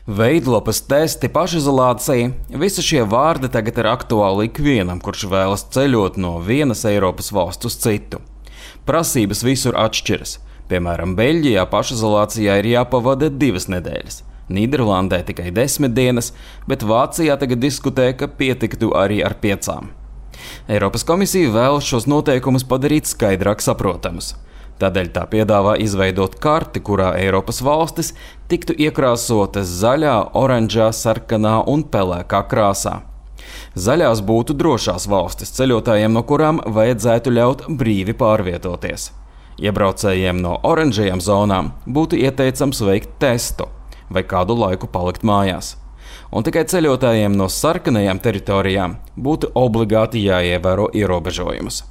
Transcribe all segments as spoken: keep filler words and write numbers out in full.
Veidlapas testi, pašizolācija – visi šie vārdi tagad ir aktuāli ikvienam, kurš vēlas ceļot no vienas Eiropas valsts uz citu. Prasības visur atšķiras. Piemēram, Beļģijā pašizolācijā ir jāpavada divas nedēļas, Nīderlandē tikai desmit dienas, bet Vācijā tagad diskutē, ka pietiktu arī ar piecām. Eiropas komisija vēlas šos noteikumus padarīt skaidrāk saprotamus. Tādēļ tā piedāvā izveidot karti, kurā Eiropas valstis tiktu iekrāsotas zaļā, oranžā, sarkanā un pelēkā krāsā. Zaļās būtu drošās valstis ceļotājiem, no kurām vajadzētu ļaut brīvi pārvietoties. Iebraucējiem no oranžajām zonām būtu ieteicams veikt testu vai kādu laiku palikt mājās. Un tikai ceļotājiem no sarkanajām teritorijām būtu obligāti jāievēro ierobežojumus.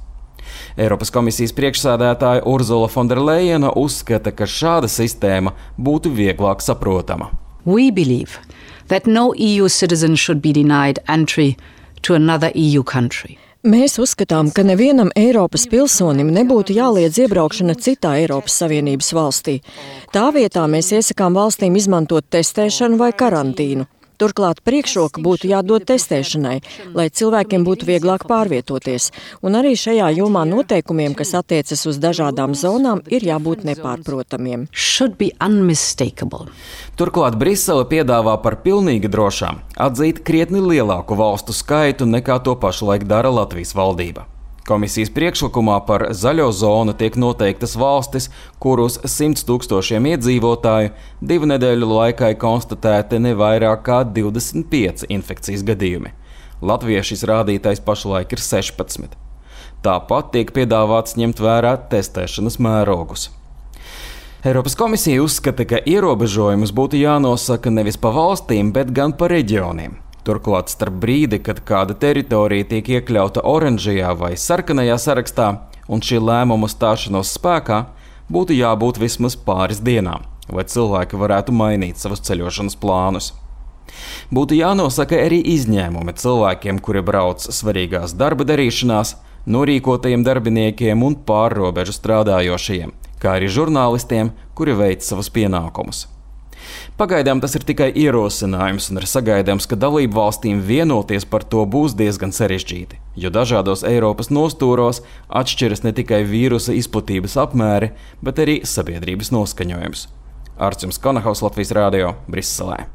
Eiropas komisijas priekšsēdētāja Urzula Fonderlejena uzskata, ka šāda sistēma būtu vieglāk saprotama. We believe that no E U citizen should be denied entry to another E U country. Mēs uzskatām, ka nevienam Eiropas pilsonim nebūtu jāliedz iebraukšana citā Eiropas Savienības valstī. Tā vietā mēs iesakām valstīm izmantot testēšanu vai karantīnu. Turklāt priekšroka būtu jādod testēšanai, lai cilvēkiem būtu vieglāk pārvietoties. Un arī šajā jomā noteikumiem, kas attiecas uz dažādām zonām, ir jābūt nepārprotamiem. Should be unmistakable. Turklāt Brisele piedāvā par pilnīgi drošām atzīt krietni lielāku valstu skaitu nekā to pašlaik dara Latvijas valdība. Komisijas priekšlikumā par zaļo zonu tiek noteiktas valstis, kurus simts tūkstošiem iedzīvotāju divu nedēļu laikā konstatēti ne vairāk kā divdesmit pieci infekcijas gadījumi. Latvijā šis rādītājs pašlaik ir sešpadsmit. Tāpat tiek piedāvāts ņemt vērā testēšanas mērogus. Eiropas komisija uzskata, ka ierobežojumus būtu jānosaka nevis pa valstīm, bet gan pa reģioniem. Turklāt starp brīdi, kad kāda teritorija tiek iekļauta oranžajā vai sarkanajā sarakstā un šī lēmuma stāšanos spēkā, būtu jābūt vismaz pāris dienām, lai cilvēki varētu mainīt savus ceļošanas plānus. Būtu jānosaka arī izņēmumi cilvēkiem, kuri brauc svarīgās darba darīšanās, norīkotajiem darbiniekiem un pārrobežu strādājošajiem, kā arī žurnālistiem, kuri veic savus pienākumus. Pagaidām tas ir tikai ierosinājums un ir sagaidāms, ka dalību valstīm vienoties par to būs diezgan sarežģīti, jo dažādos Eiropas nostūros atšķiras ne tikai vīrusa izplatības apmēri, bet arī sabiedrības noskaņojums. Artjums Konahaus, Latvijas radio, Briselē.